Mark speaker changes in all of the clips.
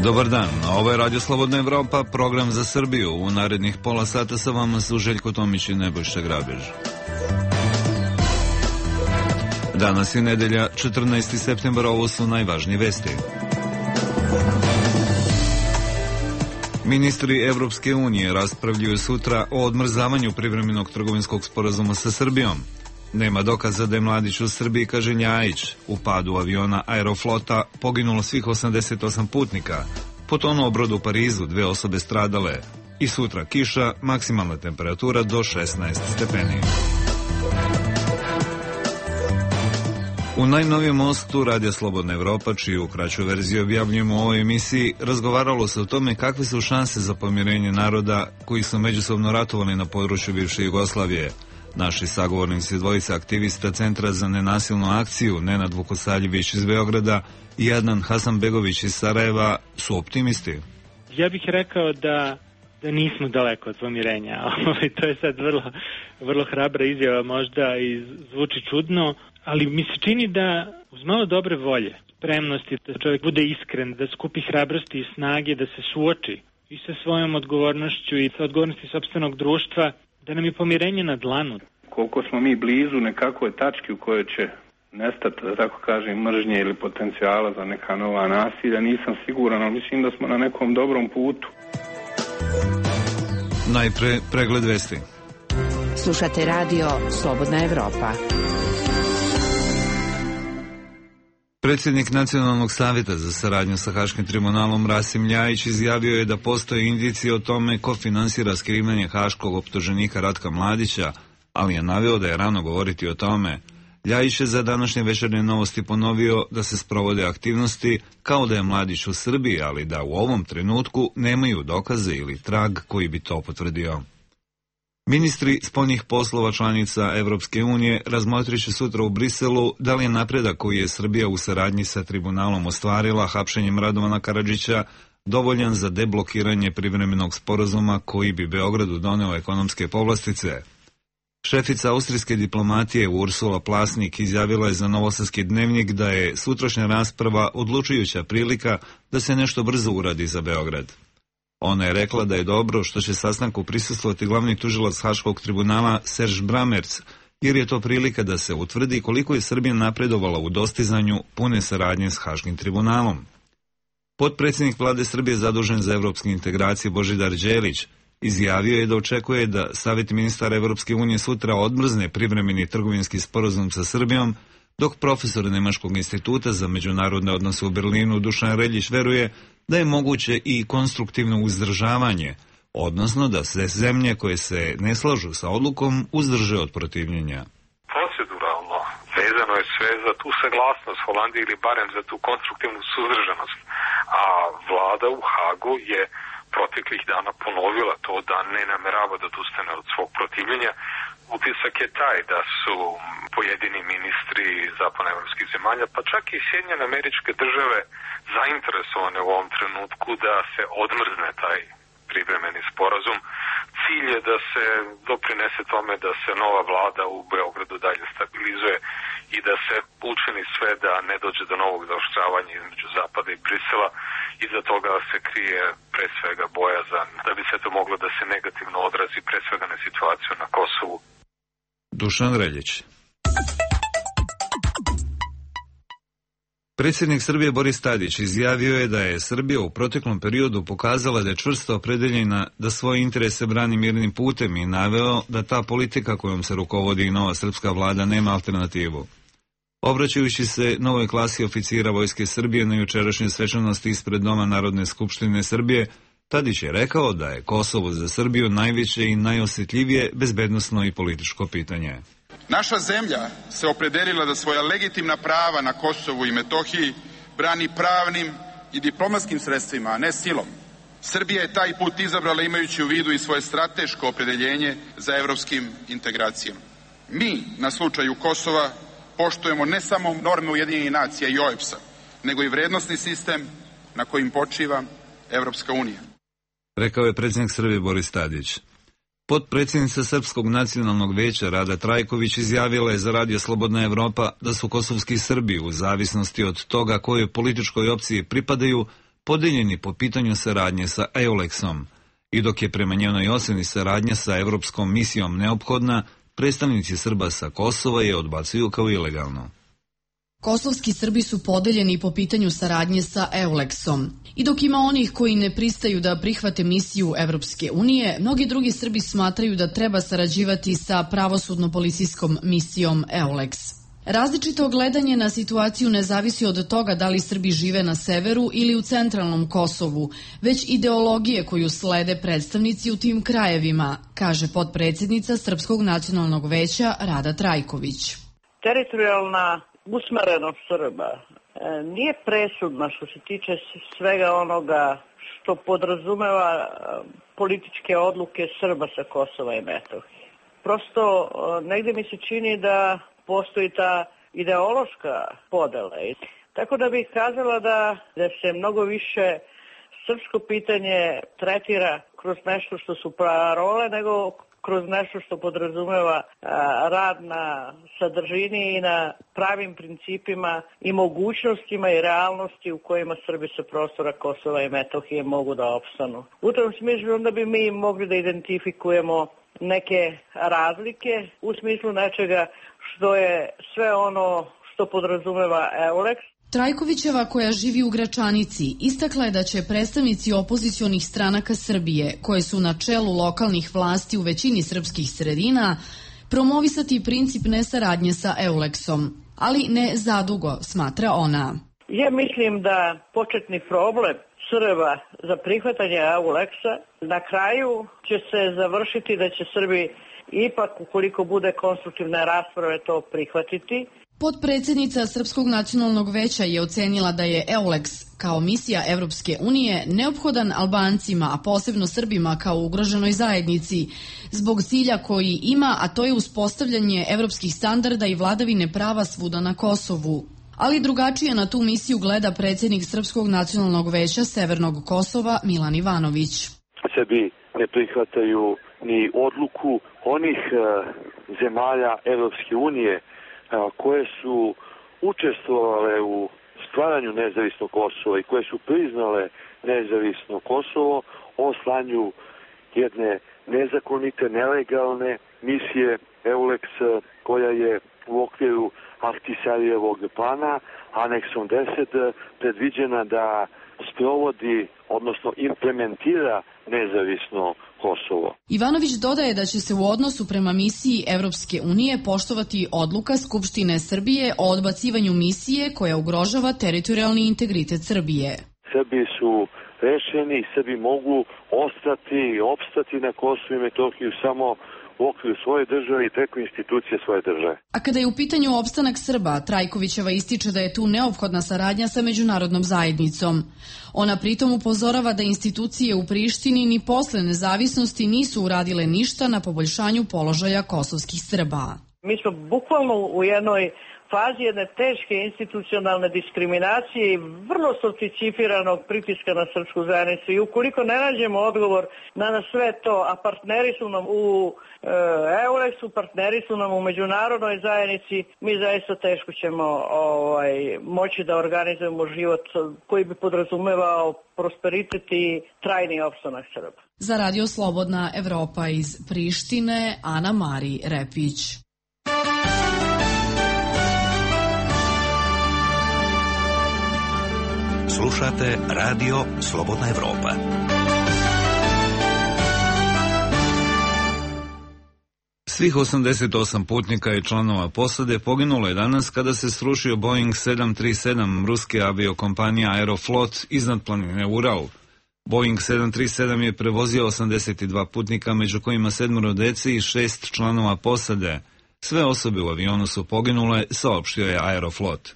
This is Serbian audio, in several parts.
Speaker 1: Dobar dan, ovo je Radio Slobodna Evropa, program za Srbiju. U narednih pola sata sa vama su Željko Tomić i Nebojša Grabež. Danas je nedelja, 14. septembar, ovo su najvažnije vesti. Ministri Evropske unije raspravljaju sutra o odmrzavanju privremenog trgovinskog sporazuma sa Srbijom. Nema dokaza da je mladić u Srbiji, kaže Ljajić. U padu aviona Aeroflota poginulo svih 88 putnika. Potonuo brod u Parizu, 2 osobe stradale. I sutra kiša, maksimalna temperatura do 16 stepeni. U najnovijem mostu Radija Slobodna Evropa, čiju kraću verziju objavljujemo u ovoj emisiji, razgovaralo se o tome kakve su šanse za pomirenje naroda koji su međusobno ratovali na području bivše Jugoslavije. Naši sagovornici, dvojica aktivista Centra za nenasilnu akciju, Nenad Vukosaljević iz Beograda i Adnan Hasanbegović iz Sarajeva, su optimisti.
Speaker 2: Ja bih rekao da nismo daleko od pomirenja. To je sad vrlo hrabra izjava možda i zvuči čudno, ali mi se čini da uz malo dobre volje, spremnosti, da čovjek bude iskren, da skupi hrabrosti i snage, da se suoči i sa svojom odgovornošću i sa odgovornosti sopstvenog društva, da nam je pomirenje na dlanu.
Speaker 3: Koliko smo mi blizu nekakve tačke u kojoj će nestati, da tako kažem, mržnje ili potencijala za neka nova nasilja, nisam siguran, ali mislim da smo na nekom dobrom putu.
Speaker 1: Najpre pregled vesti.
Speaker 4: Slušate radio Slobodna Evropa.
Speaker 1: Predsjednik Nacionalnog savjeta za saradnju sa Haškim tribunalom Rasim Ljajić izjavio je da postoje indicije o tome ko finansira skrivanje haškog optuženika Ratka Mladića, ali je naveo da je rano govoriti o tome. Ljajić je za današnje večernje novosti ponovio da se sprovode aktivnosti kao da je Mladić u Srbiji, ali da u ovom trenutku nemaju dokaze ili trag koji bi to potvrdio. Ministri spoljnih poslova članica Evropske unije razmotrit će sutra u Briselu da li je napredak koji je Srbija u saradnji sa tribunalom ostvarila hapšenjem Radovana Karadžića dovoljan za deblokiranje privremenog sporazuma koji bi Beogradu doneo ekonomske povlastice. Šefica austrijske diplomatije Ursula Plasnik izjavila je za Novosadski dnevnik da je sutrašnja rasprava odlučujuća prilika da se nešto brzo uradi za Beograd. Ona je rekla da je dobro što će sastanku prisustvovati glavni tužilac Haškog tribunala Serž Bramerc, jer je to prilika da se utvrdi koliko je Srbija napredovala u dostizanju pune saradnje s Haškim tribunalom. Potpredsjednik vlade Srbije zadužen za evropske integracije Božidar Đelić izjavio je da očekuje da Savjet ministara Evropske unije sutra odmrzne privremeni trgovinski sporazum sa Srbijom, dok profesor Nemačkog instituta za međunarodne odnose u Berlinu Dušan Reljić veruje da je moguće i konstruktivno uzdržavanje, odnosno da se zemlje koje se ne slažu sa odlukom uzdrže od protivljenja.
Speaker 5: Proceduralno vezano je sve za tu saglasnost Holandije ili barem za tu konstruktivnu suzdržanost, a vlada u Hagu je proteklih dana ponovila to da ne namerava da odustane od svog protivljenja. Utisak je taj da su pojedini ministri zapadnoevropskih zemalja, pa čak i Sjedinjene Američke Države, zainteresovane u ovom trenutku da se odmrzne taj privremeni sporazum. Cilj je da se doprinese tome da se nova vlada u Beogradu dalje stabilizuje i da se učini sve da ne dođe do novog zaoštravanja između Zapada i Brisela. Iza toga se krije pre svega bojazan da bi se to moglo da se negativno odrazi pre svega na situaciju na Kosovu.
Speaker 1: Dušan Reljić. Predsjednik Srbije Boris Tadić izjavio je da je Srbija u proteklom periodu pokazala da je čvrsto opredeljena da svoje interese brani mirnim putem i naveo da ta politika kojom se rukovodi i nova srpska vlada nema alternativu. Obraćajući se novoj klasi oficira Vojske Srbije na jučerašnjoj svečanosti ispred Doma Narodne skupštine Srbije, Tadić je rekao da je Kosovo za Srbiju najveće i najosjetljivije bezbednosno i političko pitanje.
Speaker 6: Naša zemlja se opredelila da svoja legitimna prava na Kosovu i Metohiji brani pravnim i diplomatskim sredstvima, a ne silom. Srbija je taj put izabrala imajući u vidu i svoje strateško opredeljenje za evropskim integracijama. Mi, na slučaju Kosova, poštujemo ne samo norme Ujedinjenih nacija i OEBS-a, nego i vrednosni sistem na kojim počiva Evropska unija.
Speaker 1: Rekao je predsjednik Srbije Boris Tadić. Potpredsjednica Srpskog nacionalnog veća Rada Trajković izjavila je za Radio Slobodna Evropa da su kosovski Srbi u zavisnosti od toga kojoj političkoj opciji pripadaju podeljeni po pitanju saradnje sa EULEX-om. I dok je prema njenoj oceni saradnja sa Evropskom misijom neophodna, predstavnici Srba sa Kosova je odbacuju kao ilegalno.
Speaker 7: Kosovski Srbi su podeljeni po pitanju saradnje sa EULEX-om. I dok ima onih koji ne pristaju da prihvate misiju Evropske unije, mnogi drugi Srbi smatraju da treba sarađivati sa pravosudno-policijskom misijom EULEX. Različito gledanje na situaciju ne zavisi od toga da li Srbi žive na severu ili u centralnom Kosovu, već ideologije koju slede predstavnici u tim krajevima, kaže potpredsjednica Srpskog nacionalnog veća Rada Trajković.
Speaker 8: Teritorijalna usmerenost Srba nije presudna što se tiče svega onoga što podrazumeva političke odluke Srba sa Kosova i Metohije. Prosto negde mi se čini da postoji ta ideološka podela. Tako da bih kazala da se mnogo više srpsko pitanje tretira kroz nešto što su parole nego kroz nešto što podrazumeva rad na sadržini i na pravim principima i mogućnostima i realnosti u kojima Srbi sa prostora Kosova i Metohije mogu da opstanu. U tom smislu onda bi mi mogli da identifikujemo neke razlike u smislu nečega što je sve ono što podrazumeva EULEX.
Speaker 7: Trajkovićeva, koja živi u Gračanici, istakla je da će predstavnici opozicionih stranaka Srbije, koje su na čelu lokalnih vlasti u većini srpskih sredina, promovisati princip nesaradnje sa EULEX-om, ali ne zadugo, smatra ona.
Speaker 8: Ja mislim da početni problem Srba za prihvatanje EULEX-a na kraju će se završiti da će Srbi ipak, ukoliko bude konstruktivne rasprave, to prihvatiti.
Speaker 7: Potpredsjednica Srpskog nacionalnog veća je ocenila da je EULEX kao misija Evropske unije neophodan Albancima, a posebno Srbima kao ugroženoj zajednici, zbog cilja koji ima, a to je uspostavljanje evropskih standarda i vladavine prava svuda na Kosovu. Ali drugačije na tu misiju gleda predsjednik Srpskog nacionalnog veća Severnog Kosova Milan Ivanović.
Speaker 9: Sebi ne prihvataju ni odluku onih zemalja Evropske unije koje su učestvovale u stvaranju nezavisnog Kosova i koje su priznale nezavisno Kosovo o slanju jedne nezakonite, nelegalne misije EULEX koja je u okviru Ahtisarijevog plana aneksom 10 predviđena da sprovodi, odnosno implementira nezavisno Kosovo.
Speaker 7: Ivanović dodaje da će se u odnosu prema misiji Evropske unije poštovati odluka Skupštine Srbije o odbacivanju misije koja ugrožava teritorijalni integritet Srbije.
Speaker 9: Srbi su rešeni, Srbi mogu opstati na Kosovu i Metohiju samo u okviru svoje države i preko institucije svoje države.
Speaker 7: A kada je u pitanju opstanak Srba, Trajkovićeva ističe da je tu neophodna saradnja sa međunarodnom zajednicom. Ona pritom upozorava da institucije u Prištini ni posle nezavisnosti nisu uradile ništa na poboljšanju položaja kosovskih Srba.
Speaker 8: Mi smo bukvalno u jednoj fazi jedne teške institucionalne diskriminacije i vrlo sofisticiranog pritiska na srpsku zajednicu. I ukoliko ne nađemo odgovor na sve to, a partneri su nam u EULEX-u, partneri su nam u međunarodnoj zajednici, mi zaista teško ćemo moći da organizujemo život koji bi podrazumevao prosperitet i trajni opstanak Srba.
Speaker 7: Za Radio Slobodna Evropa iz Prištine, Ana Mari Repić.
Speaker 10: Slušate Radio Slobodna Evropa.
Speaker 1: Svih 88 putnika i članova posade poginulo je danas kada se srušio Boeing 737 ruske aviokompanije Aeroflot iznad planine Ural. Boeing 737 je prevozio 82 putnika, među kojima 7 dece i 6 članova posade. Sve osobe u avionu su poginule, saopštio je Aeroflot.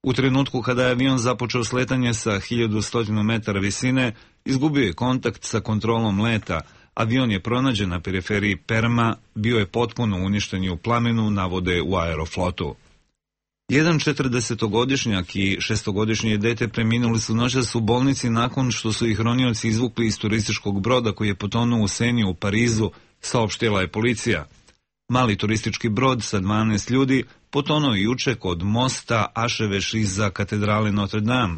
Speaker 1: U trenutku kada je avion započeo sletanje sa 1100 metara visine, izgubio je kontakt sa kontrolom leta. Avion je pronađen na periferiji Perma, bio je potpuno uništen u plamenu, navode u Aeroflotu. Jedan 40-godišnjak i 6-godišnje dete preminuli su noćas u bolnici nakon što su ih ronioci izvukli iz turističkog broda koji je potonuo u Seni u Parizu, saopštila je policija. Mali turistički brod sa 12 ljudi potonuo juče kod mosta Aševeš iza katedrale Notre Dame.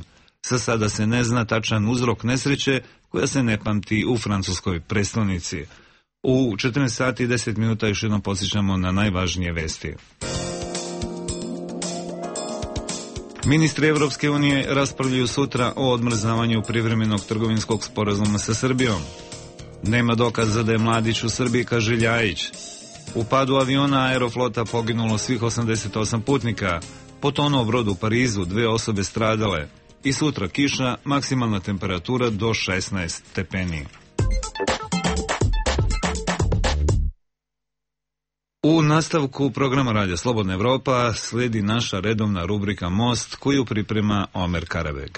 Speaker 1: Za sada se ne zna tačan uzrok nesreće koja se ne pamti u francuskoj prestonici. U 14 sati i 10 minuta još jednom podsjećamo na najvažnije vesti. Ministri Evropske unije raspravljaju sutra o odmrzavanju privremenog trgovinskog sporazuma sa Srbijom. Nema dokaza da je Mladić u Srbiji, kaže Ljajić. U padu aviona Aeroflota poginulo svih 88 putnika. Potonuo brod u Parizu, 2 osobe stradale. I sutra kiša, maksimalna temperatura do 16 stepeni. U nastavku programa Radija Slobodna Evropa slijedi naša redovna rubrika Most, koju priprema Omer Karabeg.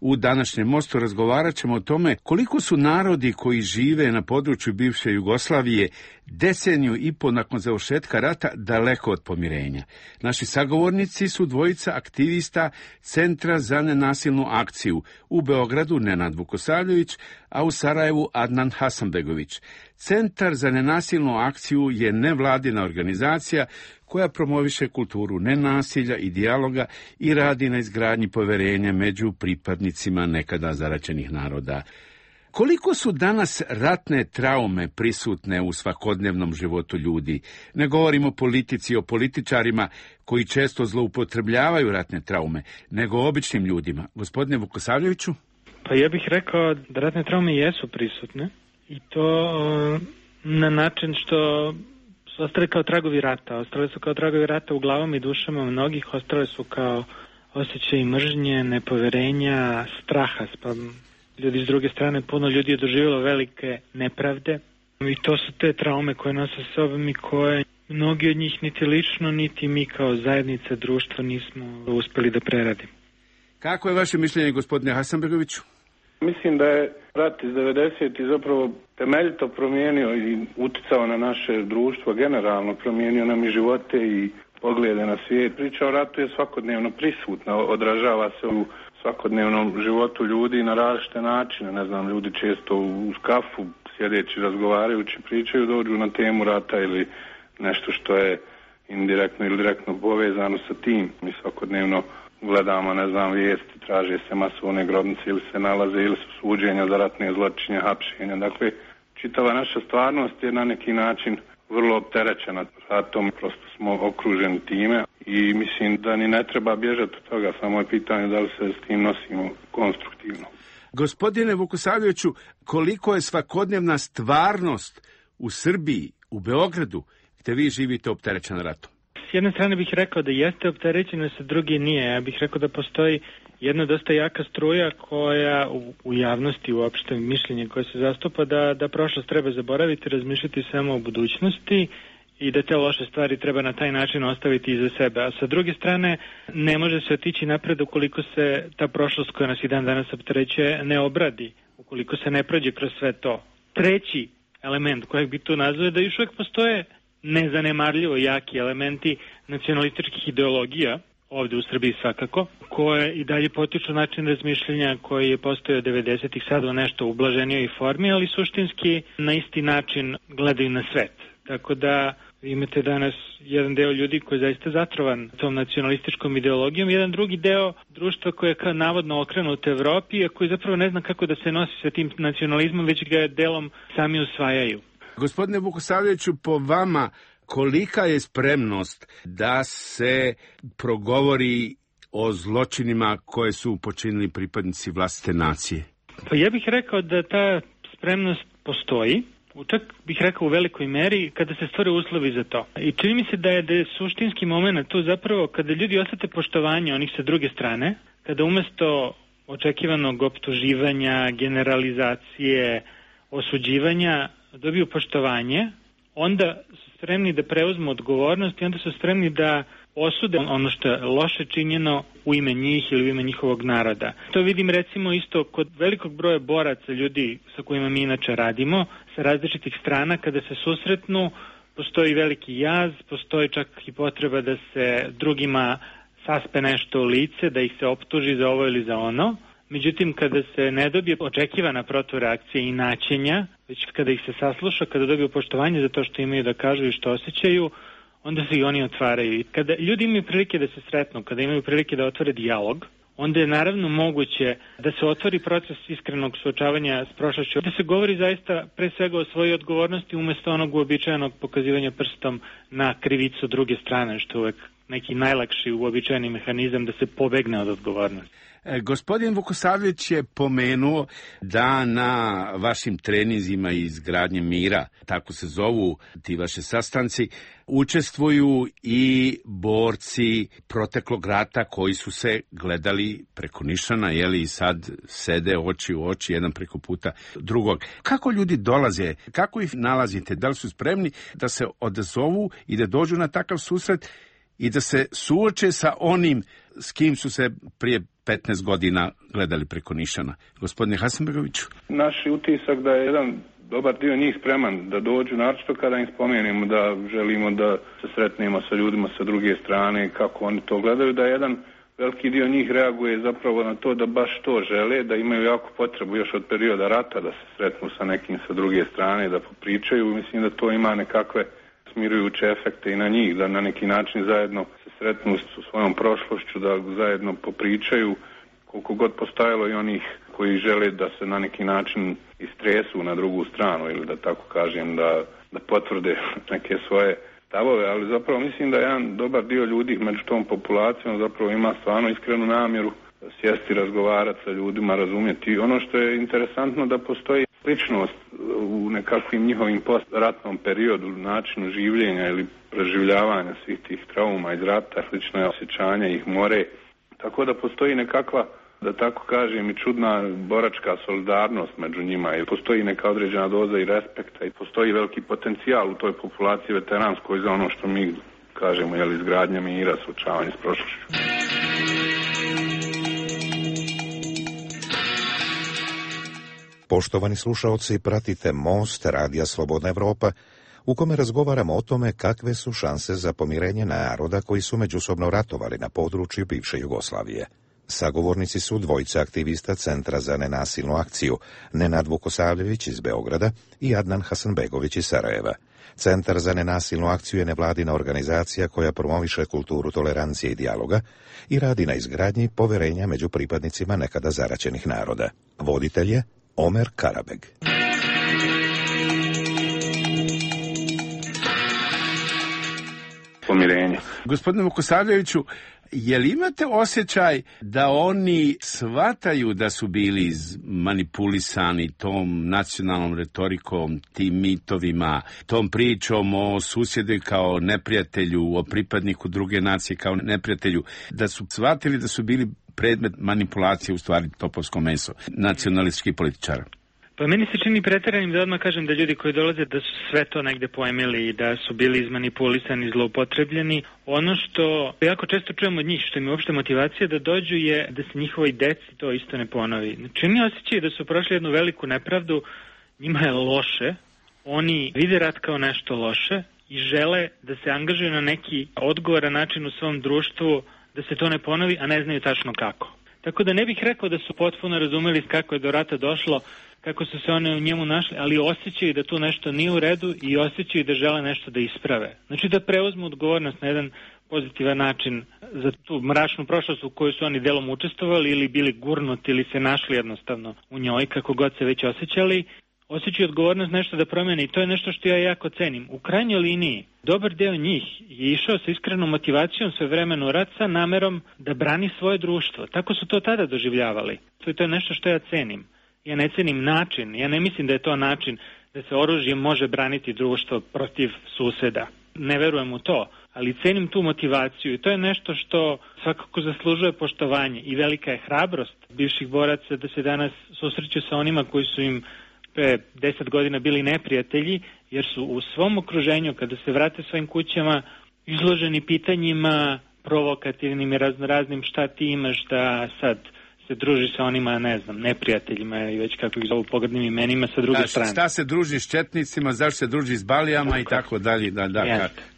Speaker 11: U današnjem Mostu razgovarat ćemo o tome koliko su narodi koji žive na području bivše Jugoslavije 10 godina nakon završetka rata daleko od pomirenja. Naši sagovornici su dvojica aktivista Centra za nenasilnu akciju, u Beogradu Nenad Vukosavljević, a u Sarajevu Adnan Hasanbegović. Centar za nenasilnu akciju je nevladina organizacija koja promoviše kulturu nenasilja i dijaloga i radi na izgradnji poverenja među pripadnicima nekada zaraćenih naroda. Koliko su danas ratne traume prisutne u svakodnevnom životu ljudi? Ne govorimo o politici, o političarima koji često zloupotrebljavaju ratne traume, nego o običnim ljudima. Gospodine Vukosavljeviću?
Speaker 2: Pa ja bih rekao da ratne traume jesu prisutne i to na način što su ostale kao tragovi rata. Ostale su kao tragovi rata u glavama i dušama mnogih, ostale su kao osjećaj mržnje, nepoverenja, straha. Pa ljudi s druge strane, puno ljudi je doživjelo velike nepravde i to su te traume koje nose sa sobom i koje mnogi od njih niti lično, niti mi kao zajednica, društva nismo uspeli da preradimo.
Speaker 11: Kako je vaše mišljenje, gospodine Hasanbegoviću?
Speaker 3: Mislim da je rat iz 90. zapravo temeljito promijenio i uticao na naše društvo, generalno promijenio nam i živote i poglede na svijet. Priča o ratu je svakodnevno prisutna, odražava se u svakodnevnom životu ljudi na različite načine. Ne znam, ljudi često u kafu sjedeći, razgovarajući, pričaju, dođu na temu rata ili nešto što je indirektno ili direktno povezano sa tim. Mi svakodnevno gledamo, ne znam, vijesti, traže se masovne grobnice ili se nalaze ili su suđenja za ratne zločine, hapšenja. Dakle, čitava naša stvarnost je na neki način vrlo opterećena ratom, prosto smo okruženi time i mislim da ni ne treba bježati od toga, samo je pitanje da li se s tim nosimo konstruktivno.
Speaker 11: Gospodine Vukosavljeviću, koliko je svakodnevna stvarnost u Srbiji, u Beogradu, gdje vi živite, opterećena ratom?
Speaker 2: S jedne strane bih rekao da jeste opterećena, sa druge nije. Ja bih rekao da postoji jedna dosta jaka struja koja u javnosti, uopšte mišljenje koje se zastupa da prošlost treba zaboraviti, razmišljati samo o budućnosti i da te loše stvari treba na taj način ostaviti iza sebe. A sa druge strane, ne može se otići napred ukoliko se ta prošlost koja nas i dan danas opterećuje ne obradi, ukoliko se ne prođe kroz sve to. Treći element kojeg bi tu nazvao da još uvijek postoje nezanemarljivo jaki elementi nacionalističkih ideologija, ovdje u Srbiji svakako, koje i dalje potiču način razmišljanja koji je postojao 90-ih, sad u nešto ublaženijoj formi, ali suštinski na isti način gledaju na svet. Tako da imate danas jedan deo ljudi koji je zaista zatrovan tom nacionalističkom ideologijom, jedan drugi deo društva koje je kao navodno okrenut u Evropi, a koji zapravo ne zna kako da se nosi sa tim nacionalizmom, već ga delom sami usvajaju.
Speaker 11: Gospodine Vukosavljeviću, po vama kolika je spremnost da se progovori o zločinima koje su počinili pripadnici vlastite nacije?
Speaker 2: Pa ja bih rekao da ta spremnost postoji, čak bih rekao u velikoj meri kada se stvore uslovi za to. I čini mi se da je suštinski moment tu zapravo kada ljudi osjete poštovanje onih sa druge strane, kada umesto očekivanog optuživanja, generalizacije, osuđivanja dobiju poštovanje, onda su spremni da preuzmu odgovornost i onda su spremni da osude ono što je loše činjeno u ime njih ili u ime njihovog naroda. To vidim recimo isto kod velikog broja boraca, ljudi sa kojima mi inače radimo, sa različitih strana, kada se susretnu, postoji veliki jaz, postoji čak i potreba da se drugima saspe nešto u lice, da ih se optuži za ovo ili za ono. Međutim, kada se ne dobije očekivana protureakcija i naćenja, već kada ih se sasluša, kada dobiju poštovanje za to što imaju da kažu i što osjećaju, onda se i oni otvaraju. I kada ljudi imaju prilike da se sretnu, kada imaju prilike da otvore dijalog, onda je naravno moguće da se otvori proces iskrenog suočavanja s prošlošću, da se govori zaista pre svega o svojoj odgovornosti umesto onog uobičajenog pokazivanja prstom na krivicu druge strane, što je uvek neki najlakši uobičajeni mehanizam da se pobegne od odgovornosti.
Speaker 11: Gospodin Vukosavljević je pomenuo da na vašim treninzima izgradnje mira, tako se zovu ti vaši sastanci, učestvuju i borci proteklog rata koji su se gledali preko nišana, i sad sede oči u oči, jedan preko puta drugog. Kako ljudi dolaze, kako ih nalazite, da li su spremni da se odazovu i da dođu na takav susret i da se suoče sa onim s kim su se prije 15 godina gledali preko nišana? Gospodine Hasanbegoviću.
Speaker 3: Naš utisak da je jedan dobar dio njih spreman da dođu, naročito kada im spomenemo da želimo da se sretnemo sa ljudima sa druge strane, kako oni to gledaju, da jedan veliki dio njih reaguje zapravo na to da baš to žele, da imaju jako potrebu još od perioda rata da se sretnu sa nekim sa druge strane, da popričaju. Mislim da to ima nekakve smirujuće efekte i na njih, da na neki način zajedno se sretnu s svojom prošlošću, da zajedno popričaju, koliko god postojalo i onih koji žele da se na neki način istresu na drugu stranu ili da tako kažem, da potvrde neke svoje stavove, ali zapravo mislim da jedan dobar dio ljudi među tom populacijom zapravo ima stvarno iskrenu namjeru sjesti, razgovarati sa ljudima, razumjeti. Ono što je interesantno da postoji sličnost u nekakvim njihovim postratnom periodu, načinu življenja ili preživljavanja svih tih trauma iz rata, slično je osjećanje ih more. Tako da postoji nekakva, da tako kažem, i čudna boračka solidarnost među njima i postoji neka određena doza i respekta i postoji veliki potencijal u toj populaciji veteranskoj za ono što mi kažemo, izgradnja mira, suočavanje s prošlošću.
Speaker 12: Poštovani slušaoci, pratite Most Radija Slobodna Evropa, u kome razgovaramo o tome kakve su šanse za pomirenje naroda koji su međusobno ratovali na području bivše Jugoslavije. Sagovornici su dvojica aktivista Centra za nenasilnu akciju, Nenad Vukosavljević iz Beograda i Adnan Hasanbegović iz Sarajeva. Centar za nenasilnu akciju je nevladina organizacija koja promoviše kulturu tolerancije i dijaloga i radi na izgradnji poverenja među pripadnicima nekada zaraćenih naroda. Voditelj je Omer Karabeg.
Speaker 3: Pomirenje.
Speaker 11: Gospodine Vukosavljeviću, je li imate osjećaj da oni shvataju da su bili manipulisani tom nacionalnom retorikom, tim mitovima, tom pričom o susjedu kao neprijatelju, o pripadniku druge nacije kao neprijatelju, da su shvatili da su bili predmet manipulacije, u stvari topovsko meso nacionalističkih političara?
Speaker 2: Pa meni se čini pretjeranim da odmah kažem da ljudi koji dolaze da su sve to negde poemili i da su bili izmanipulisani, zloupotrebljeni. Ono što jako često čujem od njih, što im je uopšte motivacija da dođu, je da se njihovoj deci to isto ne ponovi. Znači, oni osjećaju da su prošli jednu veliku nepravdu, njima je loše, oni vide rat kao nešto loše i žele da se angažuju na neki odgovoran način u svom društvu da se to ne ponovi, a ne znaju tačno kako. Tako da ne bih rekao da su potpuno razumeli kako je do rata došlo, kako su se one u njemu našli, ali osjećaju da tu nešto nije u redu i osjećaju da žele nešto da isprave. Znači da preuzmu odgovornost na jedan pozitivan način za tu mračnu prošlost u kojoj su oni delom učestvovali ili bili gurnuti ili se našli jednostavno u njoj, kako god se već osjećali. Osjećaju odgovornost nešto da promene i to je nešto što ja jako cenim. U krajnjoj liniji, dobar deo njih je išao sa iskrenom motivacijom sve vremeno u rat sa namerom da brani svoje društvo. Tako su to tada doživljavali. To je nešto što ja cenim. Ja ne cenim način, ja ne mislim da je to način da se oružjem može braniti društvo protiv suseda. Ne verujem u to, ali cenim tu motivaciju i to je nešto što svakako zaslužuje poštovanje i velika je hrabrost bivših boraca da se danas susreću sa onima koji su im pre 10 godina bili neprijatelji, jer su u svom okruženju, kada se vrate svojim kućama, izloženi pitanjima provokativnim i raznoraznim šta ti imaš da sad se druži sa onima, ne znam, neprijateljima i već kako ih zovu pogrdnim imenima sa druge strane.
Speaker 11: Šta se druži s četnicima, zašto se druži s balijama i tako dalje,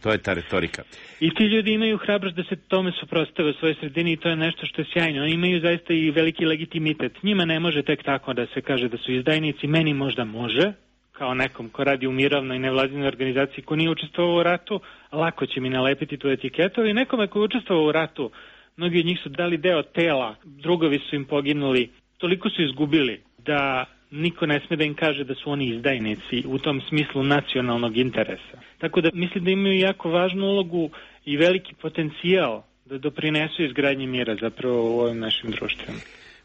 Speaker 11: to je ta retorika.
Speaker 2: I ti ljudi imaju hrabrost da se tome suprotstave u svojoj sredini i to je nešto što je sjajno. Oni imaju zaista i veliki legitimitet. Njima ne može tek tako da se kaže da su izdajnici, meni možda može, kao nekom ko radi u mirovnoj nevladinoj organizaciji, ko nije učestvovao u ratu, lako će mi nalepiti tu etiketu, i nekome ko je učestvovao u ratu, mnogi od njih su dali deo tela, drugovi su im poginuli, toliko su izgubili da niko ne sme da im kaže da su oni izdajnici u tom smislu nacionalnog interesa. Tako da mislim da imaju jako važnu ulogu i veliki potencijal da doprinesu izgradnji mira zapravo u ovim našim društvima.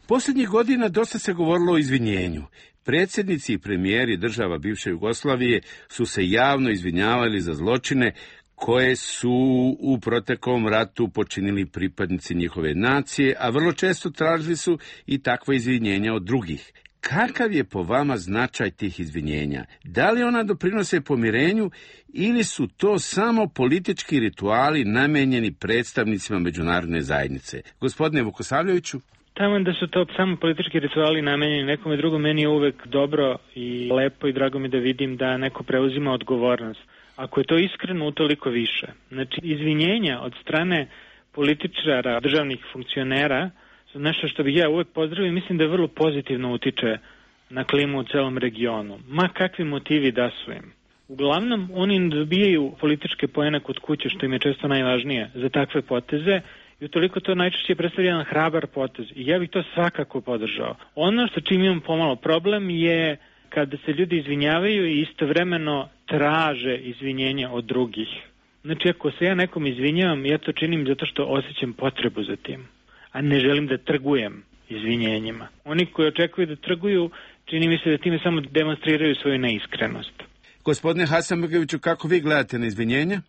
Speaker 11: Posljednjih godina dosta se govorilo o izvinjenju. Predsjednici i premijeri država bivše Jugoslavije su se javno izvinjavali za zločine koje su u proteklom ratu počinili pripadnici njihove nacije, a vrlo često tražili su i takva izvinjenja od drugih. Kakav je po vama značaj tih izvinjenja? Da li ona doprinose pomirenju ili su to samo politički rituali namenjeni predstavnicima međunarodne zajednice? Gospodine Vukosavljeviću?
Speaker 2: Tamo da su to samo politički rituali namenjeni nekome drugom, meni je uvek dobro i lepo i drago mi da vidim da neko preuzima odgovornost. Ako je to iskreno, utoliko više. Znači, izvinjenja od strane političara, državnih funkcionera, su nešto što bih ja uvek pozdravio i mislim da vrlo pozitivno utiče na klimu u celom regionu. Ma kakvi motivi da su im. Uglavnom, oni ne dobijaju političke poene kod kuće, što im je često najvažnije za takve poteze, i utoliko to najčešće predstavlja jedan hrabar potez. I ja bih to svakako podržao. Ono što čim imam pomalo problem je kada se ljudi izvinjavaju i istovremeno traže izvinjenja od drugih. Znači, ako se ja nekom izvinjavam, ja to činim zato što osjećam potrebu za tim, a ne želim da trgujem izvinjenjima. Oni koji očekuju da trguju, čini mi se da time samo demonstriraju svoju neiskrenost.
Speaker 11: Gospodine Hasanbegoviću, kako vi gledate na izvinjenja?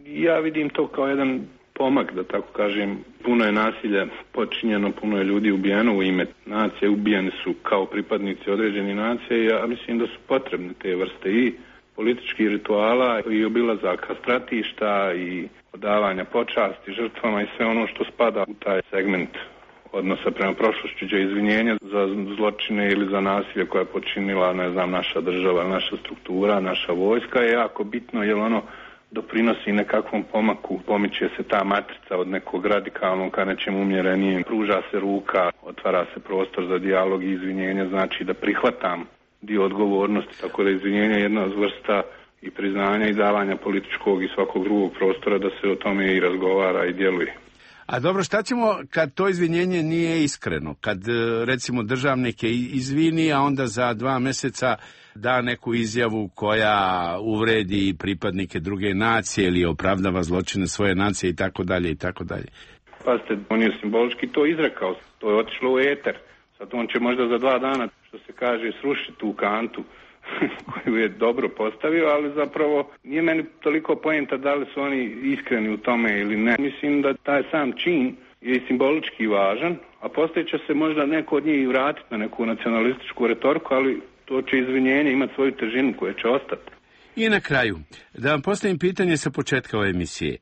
Speaker 3: Ja vidim to kao jedan pomak, da tako kažem. Puno je nasilja počinjeno, puno je ljudi ubijeno u ime nacije, ubijeni su kao pripadnici određenih nacija i ja mislim da su potrebne te vrste i političkih rituala i obilazaka stratišta i odavanja počasti žrtvama i sve ono što spada u taj segment odnosa prema prošlošću, izvinjenja za zločine ili za nasilje koje je počinila, ne znam, naša država, naša struktura, naša vojska je jako bitno jer ono doprinosi nekakvom pomaku, pomiče se ta matrica od nekog radikalnog ka nečem umjerenijem, pruža se ruka, otvara se prostor za dijalog i izvinjenja, znači da prihvatam dio odgovornosti, tako da izvinjenje je jedna vrsta i priznanja i davanja političkog i svakog drugog prostora da se o tome i razgovara i djeluje.
Speaker 11: A dobro, šta ćemo kad to izvinjenje nije iskreno? Kad, recimo, državnik je izvini, a onda za 2 mjeseca da neku izjavu koja uvredi pripadnike druge nacije ili opravdava zločine svoje nacije i tako dalje i tako dalje.
Speaker 3: Pazite, on je simbolički to izrekao, to je otišlo u eter. Sad on će možda za 2 dana, što se kaže, srušiti tu kantu koju je dobro postavio, ali zapravo nije meni toliko poenta da li su oni iskreni u tome ili ne. Mislim da taj sam čin je simbolički važan, a poslije će se možda neko od njih vratiti na neku nacionalističku retoriku, ali to će izvinjenje imati svoju težinu koja će ostati.
Speaker 11: I na kraju, da vam postavim pitanje sa početka ove emisije.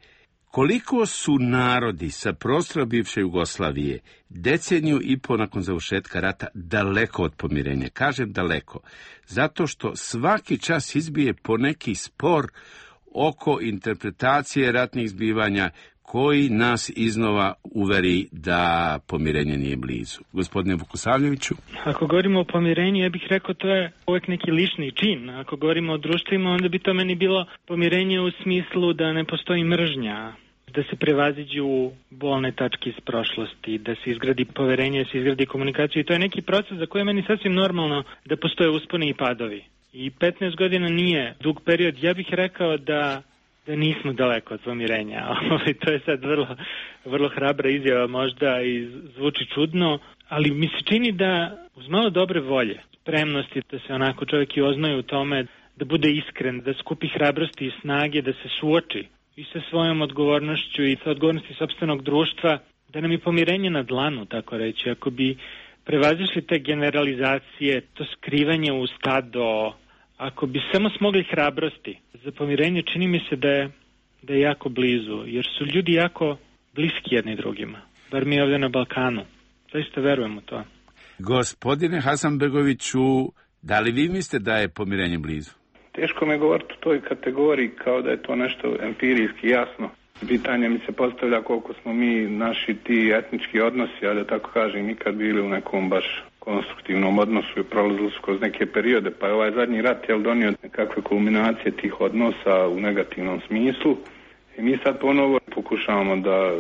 Speaker 11: Koliko su narodi sa prostora bivše Jugoslavije 1,5 deceniju nakon završetka rata daleko od pomirenja? Kažem daleko, zato što svaki čas izbije poneki spor oko interpretacije ratnih zbivanja koji nas iznova uveri da pomirenje nije blizu. Gospodine Vukosavljeviću?
Speaker 2: Ako govorimo o pomirenju, ja bih rekao to je uvek neki lični čin. Ako govorimo o društvima, onda bi to meni bilo pomirenje u smislu da ne postoji mržnja, da se prevaziđu bolne tačke iz prošlosti, da se izgradi poverenje, da se izgradi komunikaciju. I to je neki proces za koji je meni sasvim normalno da postoje usponi i padovi. I 15 godina nije dug period. Ja bih rekao da nismo daleko od pomirenja. To je sad vrlo hrabra izjava možda i zvuči čudno, ali mi se čini da uz malo dobre volje, spremnosti da se onako čovjek i oznoji u tome, da bude iskren, da skupi hrabrosti i snage, da se suoči i sa svojom odgovornošću i sa odgovornosti sopstvenog društva, da nam je pomirenje na dlanu, tako reći. Ako bi prevazišli te generalizacije, to skrivanje u stado, ako bi samo smogli hrabrosti za pomirenje, čini mi se da je jako blizu, jer su ljudi jako bliski jedni drugima, bar mi ovdje na Balkanu. Zaista verujem u to.
Speaker 11: Gospodine Hasanbegoviću, da li vi mislite da je pomirenje blizu?
Speaker 3: Teško me govoriti u toj kategoriji kao da je to nešto empirijski jasno. Pitanje mi se postavlja koliko smo mi naši ti etnički odnosi, a da tako kažem, nikad bili u nekom baš konstruktivnom odnosu i prolazili su kroz neke periode, pa je ovaj zadnji rat donio nekakve kulminacije tih odnosa u negativnom smislu i mi sad ponovo pokušavamo da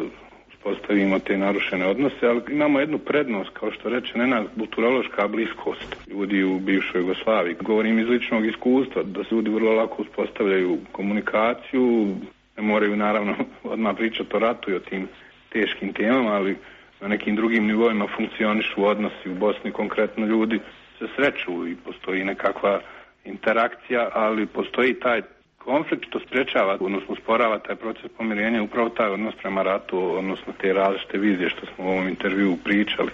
Speaker 3: uspostavimo te narušene odnose, ali imamo jednu prednost, kao što reče Nenad, kulturološka bliskost ljudi u bivšoj Jugoslaviji. Govorim iz ličnog iskustva, da se ljudi vrlo lako uspostavljaju komunikaciju, ne moraju naravno odmah pričati o ratu i o tim teškim temama, ali na nekim drugim nivoima funkcionišu odnosi u Bosni, konkretno ljudi se sreću i postoji nekakva interakcija, ali postoji taj konflikt što sprečava, odnosno usporava taj proces pomirenja, upravo taj odnos prema ratu, odnosno te različite vizije što smo u ovom intervjuu pričali,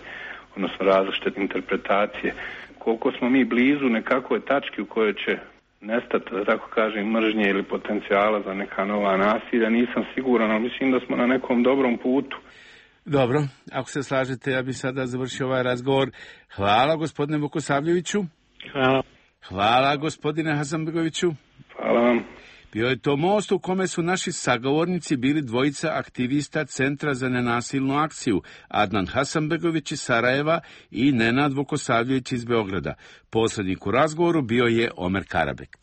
Speaker 3: odnosno različite interpretacije. Koliko smo mi blizu nekakvoj tački u kojoj će nestati, da tako kažem, mržnje ili potencijala za neka nova nasilja, nisam siguran, ali mislim da smo na nekom dobrom putu.
Speaker 11: Dobro, ako se slažete, ja bih sada završio ovaj razgovor. Hvala gospodine Vukosavljeviću.
Speaker 2: Hvala.
Speaker 11: Hvala gospodine Hasanbegoviću.
Speaker 3: Hvala vam.
Speaker 11: Bio je to most u kome su naši sagovornici bili dvojica aktivista Centra za nenasilnu akciju, Adnan Hasanbegović iz Sarajeva i Nenad Vukosavljević iz Beograda. Posrednik u razgovoru bio je Omer Karabek.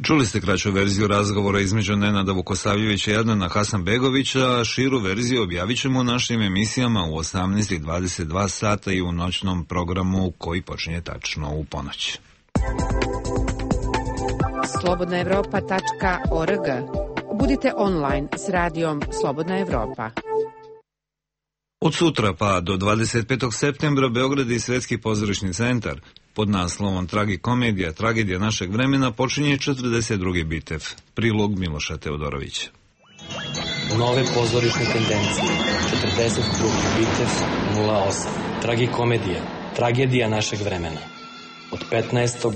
Speaker 1: Čuli ste kraću verziju razgovora između Nenada Vukosavljevića i Adnana Hasanbegovića, širu verziju objavit ćemo u našim emisijama u 18:22 sata i u noćnom programu koji počinje tačno u ponoć.
Speaker 4: slobodnaevropa.org. Budite online s radijom Slobodna Evropa.
Speaker 1: Od sutra pa do 25. septembra Beograd i Svetski pozorišni centar pod naslovom Tragikomedija, tragedija našeg vremena počinje 42. bitev. Prilog Miloša Teodorovića.
Speaker 13: Nove pozorišne tendencije. 42. bitev 08. Tragikomedija, tragedija našeg vremena. Od 15.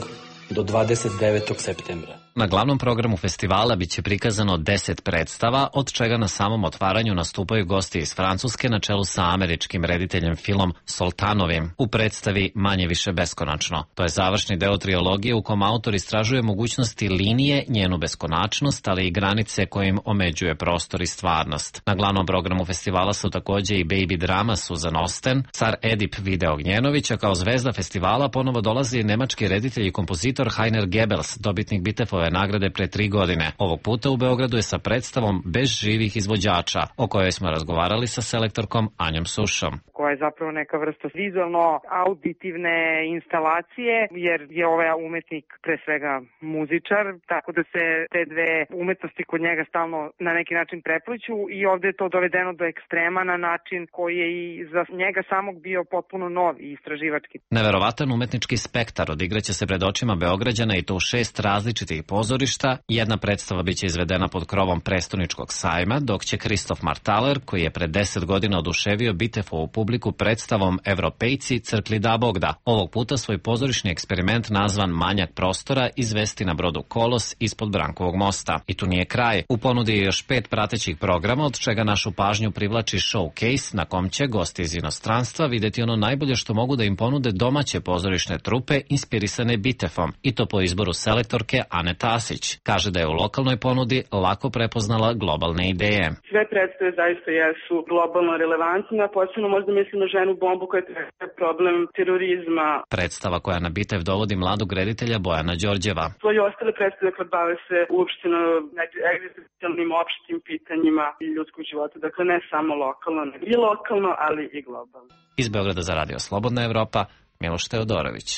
Speaker 13: do 29. septembra.
Speaker 14: Na glavnom programu festivala biće prikazano 10 predstava, od čega na samom otvaranju nastupaju gosti iz Francuske na čelu sa američkim rediteljem Philom Soltanovim u predstavi Manje više beskonačno. To je završni deo trilogije u kom autor istražuje mogućnosti linije, njenu beskonačnost, ali i granice kojim omeđuje prostor i stvarnost. Na glavnom programu festivala su takođe i baby drama Susan Osten, car Edip Vide Ognjenović, a kao zvezda festivala ponovo dolazi nemački reditelj i kompozitor Heiner Goebbels, dobitnik Bitefove nagrade pre 3 godine. Ovog puta u Beogradu je sa predstavom Bez živih izvođača, o kojoj smo razgovarali sa selektorkom Anjom Sušom.
Speaker 15: Koja je zapravo neka vrsta vizualno-auditivne instalacije, jer je ovaj umetnik pre svega muzičar, tako da se te dve umetnosti kod njega stalno na neki način prepliću i ovde je to dovedeno do ekstrema na način koji je i za njega samog bio potpuno nov i istraživački.
Speaker 14: Neverovatan umetnički spektar odigraće se pred očima Beograđana i to u 6 različitih pozorišta. Jedna predstava biće izvedena pod krovom prestoničkog sajma, dok će Kristof Martaler, koji je pre 10 godina oduševio Bitefovu publiku predstavom Evropejci crkli da Bogda, ovog puta svoj pozorišni eksperiment nazvan Manjak prostora izvesti na brodu Kolos ispod Brankovog mosta. I tu nije kraj. U ponudi je još 5 pratećih programa, od čega našu pažnju privlači showcase na kom će gosti iz inostranstva videti ono najbolje što mogu da im ponude domaće pozorišne trupe inspirisane Bitefom, i to po izboru selektorke Ane Tasić. Kaže da je u lokalnoj ponudi lako prepoznala globalne ideje.
Speaker 16: Sve predstave zaista jesu globalno relevantne, a posebno možda mislim na ženu bombu koja je problem terorizma.
Speaker 14: Predstava koja na Bitev dovodi mladog reditelja Bojana Đorđeva.
Speaker 16: Svoje ostale predstave kad bave se uopšteno egzistencijalnim opštim pitanjima i ljudskog života. Dakle, ne samo lokalno, ne i lokalno, ali i globalno.
Speaker 14: Iz Beograda za Radio Slobodna Evropa, Miloš Teodorović.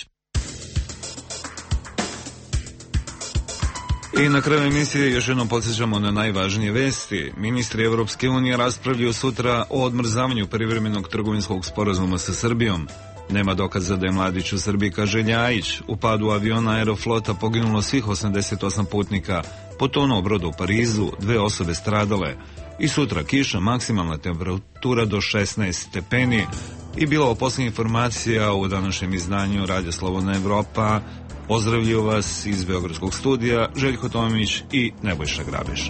Speaker 1: I na kraju emisije još jednom podsjećamo na najvažnije vesti. Ministri Evropske unije raspravljaju sutra o odmrzavanju privremenog trgovinskog sporazuma sa Srbijom. Nema dokaza da je mladić u Srbiji, kaže Ljajić. U padu aviona Aeroflota poginulo svih 88 putnika. Potonuo brod u Parizu, 2 osobe stradale. I sutra kiša, maksimalna temperatura do 16 stepeni. I bila ovo posljednja informacija u današnjem izdanju Radio Slobodna Evropa. Pozdravljaju vas iz Beogradskog studija Željko Tomić i Nebojša Grabež.